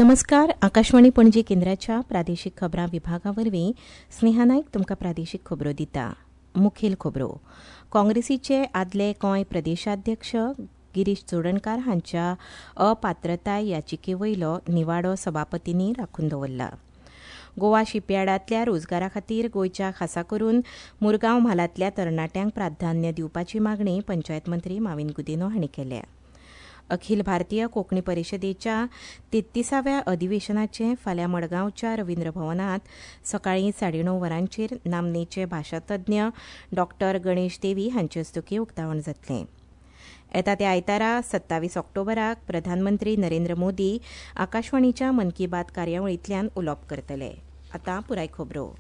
नमस्कार, आकाशवाणी पणजी केंद्राच्या प्रादेशीक खबरां विभागा वरवीं स्नेहा नायक तुमकां प्रादेशीक खबरो दिता. मुखेल खबरो. काँग्रेसीचे आदले गोंय प्रदेशाध्यक्ष गिरीश चोडणकार हांच्या अपात्रताय याचिके वयलो निवाडो सभापतींनी राखून दवरला. गोवा शिपयार्डांतल्या रोजगारा खातीर गोंयच्या खासा करून मुरगांव म्हालांतल्या तरणाट्यांक प्राधान्य दिवपाची मागणी पंचायत मंत्री माविन गुदिन्हो हांणी केल्या. अखिल भारतीय कोंकणी परिशदेच्या 33व्या अधिवेशनाचें फाल्यां मडगांवच्या रवींद्र भवनांत सकाळीं 9:30 वरांचेर नामनेचे भाशातज्ञ डॉ गणेश देवी हांचे हस्तुकीं उक्तावण जातलें. येता त्या आयतारा 27 ऑक्टोबराक प्रधानमंत्री नरेंद्र मोदी आकाशवाणीच्या मन की बात कार्यावळींतल्यान उलोवप करतले. आतां पुराय खबरो.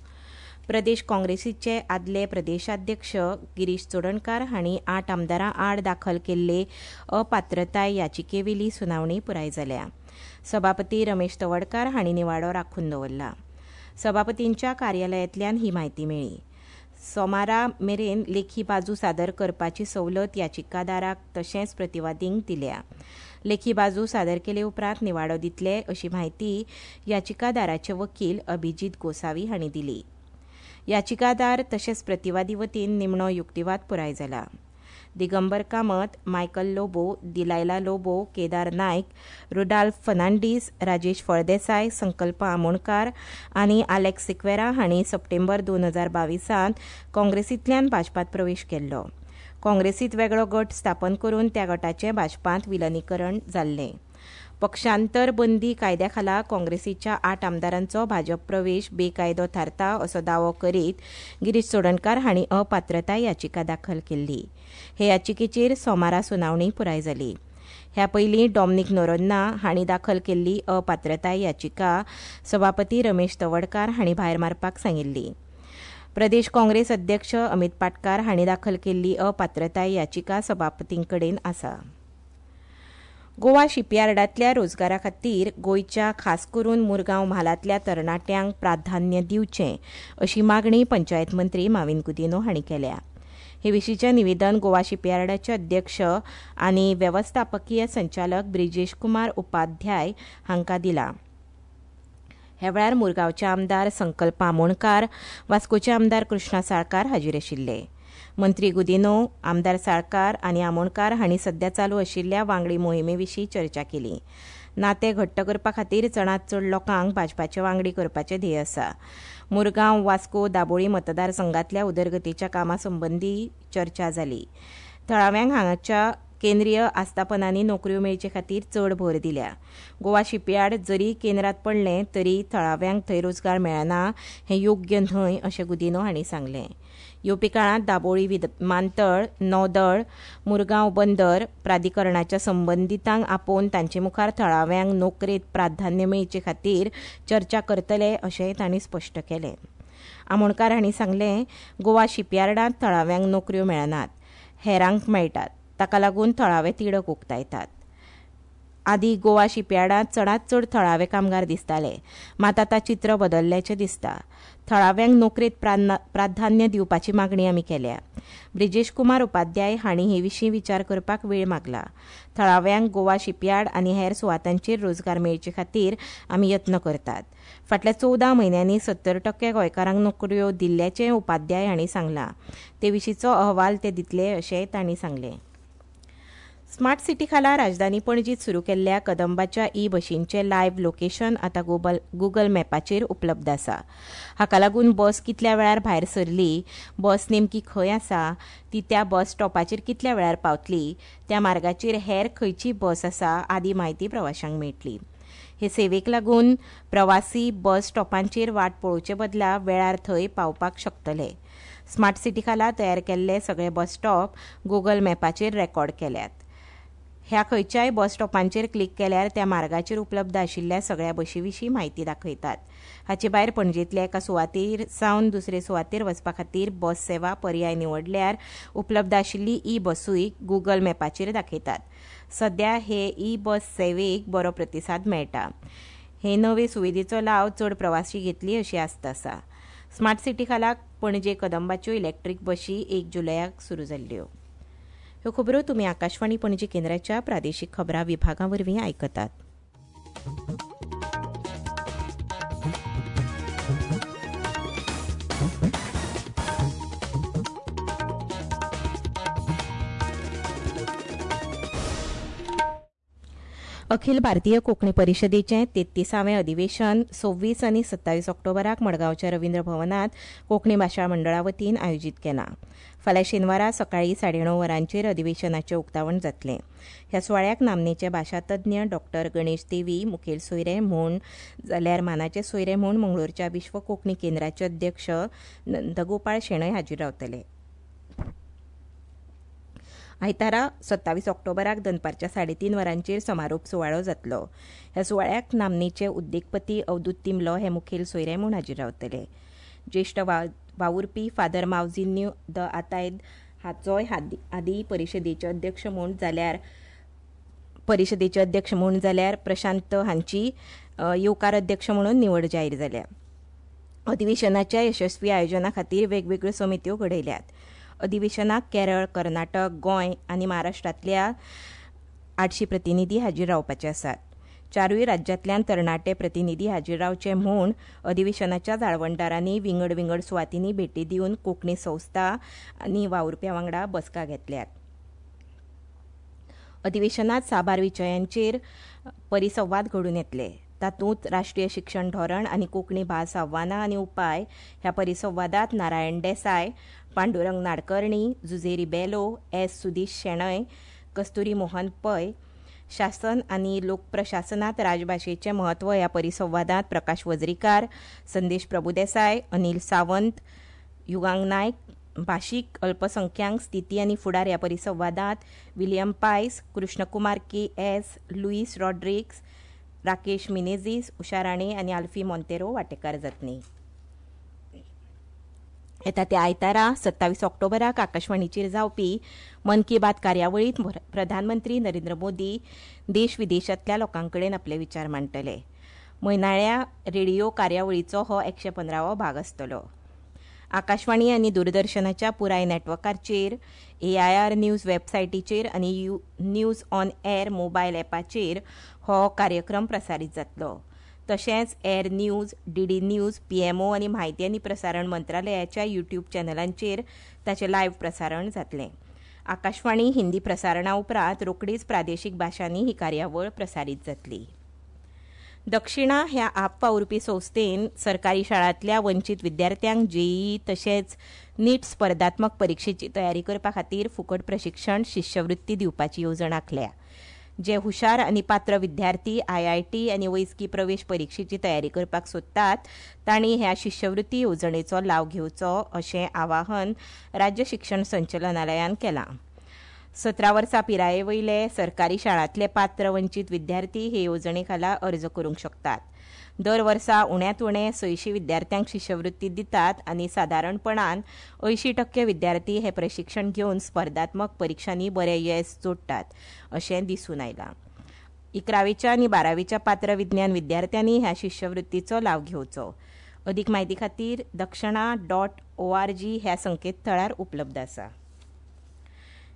प्रदेश काँग्रेसीचे आदले प्रदेशाध्यक्ष गिरीश चोडणकार हांणी 8 आमदारां आड दाखल केल्ले अपात्रताय याचिकेवेली सुनावणी पुराय जाल्या. सभापती रमेश तवडकार हांणी निवाडो राखून दवरला. सभापतींच्या कार्यालयांतल्यान ही म्हायती मेळ्ळी. सोमारा मेरेन लेखी बाजू सादर करपाची सवलत याचिकादाराक तशेंच प्रतिवादींक दिल्या. लेखी बाजू सादर केले उपरांत निवाडो दितले अशी म्हायती याचिकादाराचे वकील अभिजीत गोसावी हांणी दिली. याचिकादार तशेंच प्रतिवादी वतीन निमणो युक्तिवाद पुराय जाला. दिगंबर कामत, मायकल लोबो, दिलायला लोबो, केदार नायक, रुडाल्फ फर्नांडीस, राजेश फळदेसाय, संकल्प आमोणकार आनी आलेक्स सिक्वेरा हांणी सप्टेंबर 2022 काँग्रेसींतल्यान भाजपांत प्रवेश केल्लो. काँग्रेसींत वेगळो गट स्थापन करून त्या गटाचें भाजपांत विलिनीकरण जाल्लें. पक्षांतर बंदी कायद्या खाला काँग्रेसीच्या 8 आमदारांचो भाजप प्रवेश बेकायदो थारता असो दावो करीत गिरीश चोडणकार हांणी अपात्रताय याचिका दाखल केल्ली. हे याचिकेचेर सोमारा सुनावणी पुराय जाली. ह्या पयलीं डॉमनीक नोरोन्हा हांणी दाखल केल्ली अपात्रताय याचिका सभापती रमेश तवडकार हांणी भायर मारपाक सांगिल्ली. प्रदेश काँग्रेस अध्यक्ष अमित पाटकार हांणी दाखल केल्ली अपात्रताय याचिका सभापतीं कडेन आसा. गोवा शिपयार्डांतल्या रोजगारा खातीर गोंयच्या खास करून मुरगांव म्हालांतल्या तरणाट्यांक प्राधान्य दिवचें अशी मागणी पंचायत मंत्री माविन गुदिन्हो हांणी केल्या. हे विशींचें निवेदन गोवा शिपयार्डाचे अध्यक्ष आनी वेवस्थापकीय संचालक ब्रिजेश कुमार उपाध्याय हांकां दिलां. ह्या वेळार मुरगांवचे आमदार संकल्प आमोणकार, वास्कोचे आमदार कृष्णा साळकार हाजीर आशिल्ले. मंत्री गुदिन्हो, आमदार साळकार आनी आमोणकार हांणी सध्या चालू आशिल्ल्या वांगडी मोहिमे विशीं चर्चा केली. नातें घट्ट करपा खातीर चडांत चड लोकांक भाजपाचे वांगडी करपाचें ध्येय आसा. मुरगांव, वास्को, दाबोळी मतदारसंघांतल्या उदरगतीच्या कामां संबंदी चर्चा जाली. थळाव्यांक हांगाच्या केंद्रीय आस्थापनांनी नोकऱ्यो मेळचे खातीर चड भर दिल्या. गोवा शिपयार्ड जरी केंद्रांत पडलें तरी थळाव्यांक थंय रोजगार मेळना हें योग्य न्हय अशें गुदिन्हो हांणी सांगलें. येवपी काळांत दाबोळी विमानतळ, नौदळ, मुरगांव बंदर प्राधिकरणाच्या संबंदितांक आपोवन तांचे मुखार थळाव्यांक नोकरेंत प्राधान्य मेळचे खातीर चर्चा करतले अशेंय तांणी स्पश्ट केलें. आमोणकार हांणी सांगलें, गोवा शिपयार्डांत थळाव्यांक नोकऱ्यो मेळनात, हेरांक मेळटात. ताका लागून थळावे तिडक उक्तायतात. आदीं गोवा शिपयार्डांत चडांत चड थळावे कामगार दिसताले, मात आतां चित्र बदल्ल्याचें दिसता. थळाव्यांक नोकरेंत प्राधान्य दिवपाची मागणी आमी केल्या. ब्रिजेश कुमार उपाध्याय हांणी हे विशीं विचार करपाक वेळ मागला. थळाव्यांक गोवा शिपयार्ड आनी हेर सुवातांचेर रोजगार मेळचे खातीर आमी यत्न करतात. फाटल्या 14 म्हयन्यांनी 70% गोंयकारांक नोकऱ्यो दिल्ल्याचें उपाध्याय हांणी सांगलां. ते विशींचो अहवाल ते दितले अशेंय तांणी सांगलें. स्मार्ट सिटी खाला राजधानी पणजीत सुरू केल्ल्या कदंबाच्या ई बशींचें लायव्ह लोकेशन आतां गुगल मॅपाचेर उपलब्ध आसा. हाका लागून बस कितल्या वेळार भायर सरली, बस नेमकी खंय आसा, ती त्या बस स्टॉपाचेर कितल्या वेळार पावतली, त्या मार्गाचेर हेर खंयची बस आसा आदी म्हायती प्रवाशांक मेळटली. हे सेवेक लागून प्रवासी बस स्टॉपांचेर वाट पळोवचे बदला वेळार थंय पावपाक शकतले. स्मार्ट सिटी खाला तयार केल्ले सगळे बस स्टॉप गुगल मॅपाचेर रेकॉर्ड केल्यात. ह्या खंयच्याय बस स्टॉपांचेर क्लिक केल्यार त्या मार्गाचेर उपलब्ध आशिल्ल्या सगळ्या बशी विशीं म्हायती दाखयतात. हाचे भायर पणजेंतल्या एका सुवातेर सावन दुसरे सुवातेर वचपा खातीर बस सेवा पर्याय निवडल्यार उपलब्ध आशिल्ली ई बसूय गुगल मॅपाचेर दाखयतात. सध्या हे ई बस सेवेक बरो प्रतिसाद मेळटा. हे नवे सुविधेचो लाव चड प्रवासी घेतली अशी आस्त आसा. स्मार्ट सिटी खाला पणजे कदंबाच्यो इलेक्ट्रीक बशी 1 जुलयाक सुरू जाल्ल्यो. ह्यो खबरो तुमी आकाशवाणी पणजी केंद्राच्या प्रादेशीक खबरां विभागा वरवीं आयकतात. अखिल भारतीय कोंकणी परिशदेचें 33वें अधिवेशन 26 आनी 27 ऑक्टोबराक मडगांवच्या रवींद्र भवनांत कोंकणी भाशा मंडळा वतीन आयोजीत केलां. फाल्यां शेनवारा सकाळीं 9:30 वरांचेर अधिवेशनाचें उक्तावण जातलें. ह्या सुवाळ्याक नामनेचे भाशातज्ञ डॉ गणेश देवी मुखेल सोयरे म्हूण जाल्यार मानाचे सोयरे म्हूण मंगळूरच्या विश्व कोंकणी केंद्राचे अध्यक्ष नंदगोपाळ शेणय हाजीर रावतले. आयतारा 27 ऑक्टोबराक दनपारच्या 3:30 वरांचेर समारोप सुवाळो जातलो. ह्या सुवाळ्याक नामनेचे उद्देगपती अवधूत तिमलो हे मुखेल सोयरे म्हूण हाजीर रावतले. ज्येश्ठ वावुरपी फादर मावजिन्यू the आतायद हाचोय आदी परिशदेचे अध्यक्ष म्हूण जाल्यार प्रशांत हांची येवकार अध्यक्ष म्हणून निवड जाहीर जाल्या. अधिवेशनाच्या यशस्वी आयोजना खातीर वेगवेगळ्यो समित्यो घडयल्यात. अधिवेशनाक केरळ, कर्नाटक, गोंय आनी महाराष्ट्रांतल्या 800 प्रतिनिधी हाजीर रावपाचे आसात. 4 राज्यांतल्यान तरणाटे प्रतिनिधी हाजीर रावचे म्हूण अधिवेशनाच्या जाळवणदारांनी विंगड विंगड सुवातींनी भेटी दिवन कोंकणी संस्था आनी वावुरप्यां वांगडा बसका घेतल्यात. अधिवेशनांत साबार विशयांचेर परिसंवाद घडून येतले. तातूंत राष्ट्रीय शिक्षण धोरण आनी कोंकणी भास आव्हानां आनी उपाय ह्या परिसंवादांत नारायण देसाय, पांडुरंग नाडकर्णी, जुझेरी बेलो, एस सुदीश शेणय, कस्तुरी मोहन पै, शासन आनी लोकप्रशासनांत राजभाशेचें म्हत्व ह्या परिसंवादांत प्रकाश वजरीकार, संदेश प्रभुदेसाय, अनिल सावंत, युगांग नायक, भाशीक अल्पसंख्यांक स्थिती आनी फुडार ह्या परिसंवादांत William Pais, Krishnakumar K S, Luis Rodrigues, Rakesh Menezes, Usha Rane आनी आल्फी मोंतेरो वांटेकार जातली. येता त्या आयतारा 27 ऑक्टोबराक आकाशवाणीचेर जावपी मन की बात कार्यावळींत प्रधानमंत्री नरेंद्र मोदी देश विदेशांतल्या लोकां कडेन आपले विचार मांडटले. म्हयनाळ्या रेडिओ कार्यावळीचो हो 115वो भाग आसतलो. आकाशवाणी आनी दूरदर्शनाच्या पुराय नॅटवर्काचेर, AIR news वेबसायटीचेर आनी न्यूज ऑन एअर मोबायल ॲपाचेर हो कार्यक्रम प्रसारीत जातलो. तशेंच air news, DD news, PMO आनी म्हायती आनी प्रसारण मंत्रालयाच्या यूट्यूब चॅनलांचेर ताचें लायव्ह प्रसारण जातलें. आकाशवाणी हिंदी प्रसारणा उपरांत रोखडीच प्रादेशीक भाशांनी ही कार्यावळ प्रसारीत जातली. दक्षिणा ह्या आप वावुरपी संस्थेन सरकारी शाळांतल्या वंचीत विद्यार्थ्यांक जेईई तशेंच नीट स्पर्धात्मक परिक्षेची तयारी करपा खातीर फुकट प्रशिक्षण शिश्यवृत्ती दिवपाची येवजण आंखल्या. जे हुशार आनी पात्र विद्यार्थी IIT आनी वैजकी प्रवेश परिक्षेची तयारी करपाक सोदतात तांणी ह्या शिश्यवृत्ती येवजणेचो लाव घेवचो अशें आवाहन राज्य शिक्षण संचालनालयान केलां. 17 वर्सां पिराये वयले सरकारी शाळांतले पात्र वंचीत विद्यार्थी हे येवजणे खाला अर्ज करूंक शकतात. दर वर्सा उण्यांत उणे 600 विद्यार्थ्यांक शिश्यवृत्ती दितात आनी सादारणपणान 80% विद्यार्थी हे प्रशिक्षण घेवन स्पर्धात्मक परिक्षांनी बरें येस जोडटात अशें दिसून आयलां. 11वीच्या आनी 12वीच्या पात्र विज्ञान विद्यार्थ्यांनी ह्या शिश्यवृत्तीचो लाव घेवचो. अदीक म्हायती खातीर dakshina.org ह्या संकेतथळार उपलब्ध आसा.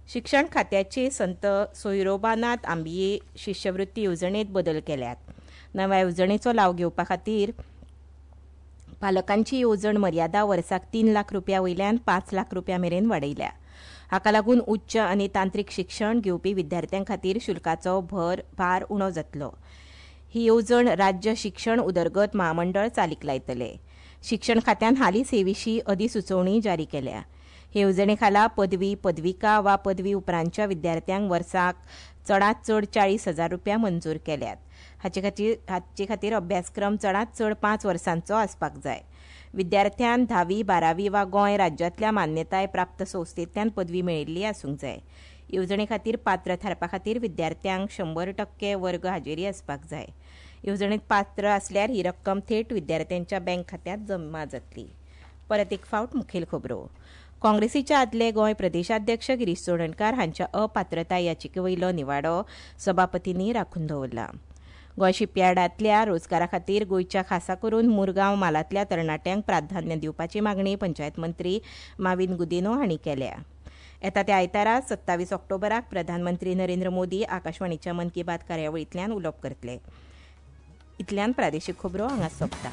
शिक्षण खात्याचे संत सोयरोबानाथ आंबिये शिश्यवृत्ती येवजणेंत बदल केल्यात. नव्या येवजणेचो लाव घेवपा खातीर पालकांची येवजण मर्यादा वर्साक 3 लाख रुपया वयल्यान 5 लाख रुपया मेरेन वाडयल्या. हाका लागून उच्च आनी तांत्रीक शिक्षण घेवपी विद्यार्थ्यां खातीर शुल्काचो भार उणो जातलो. ही येवजण राज्य शिक्षण उदरगत म्हामंडळ चालीक लायतले. शिक्षण खात्यान हालींच हे विशीं अधिसुचोवणी जारी केल्या. हे येवजणे खाला पदवी, पदविका वा पदवी उपरांतच्या विद्यार्थ्यांक वर्साक चडांत चड 40,000 रुपया मंजूर केल्यात. हाचे खातीर अभ्यासक्रम चडांत चड 5 वर्सांचो आसपाक जाय. विद्यार्थ्यान 10वी, 12वी वा गोंय राज्यांतल्या मान्यताय प्राप्त संस्थेंतल्यान पदवी मेळिल्ली आसूंक जाय. येवजणे खातीर पात्र थारपा खातीर विद्यार्थ्यांक 100% वर्ग हाजेरी आसपाक जाय. येवजणेंत पात्र आसल्यार ही रक्कम थेट विद्यार्थ्यांच्या बँक खात्यांत जमा जातली. परत एक फावट मुखेल खबरो. काँग्रेसीच्या आदले गोंय प्रदेशाध्यक्ष गिरीश चोडणकार हांच्या अपात्रताय याचिके वयलो निवाडो सभापतींनी राखून दवरला. गोंय शिपयार्डांतल्या रोजगारा खातीर गोंयच्या खासा करून मुरगांव म्हालांतल्या तरणाट्यांक प्राधान्य दिवपाची मागणी पंचायत मंत्री माविन गुदिन्हो हांणी केल्या. येता त्या आयतारा 27 ऑक्टोबराक प्रधानमंत्री नरेंद्र मोदी आकाशवाणीच्या मन की बात कार्यावळींतल्यान उलोवप करतले. इतल्यान प्रादेशीक खबरो हांगा सोंपता.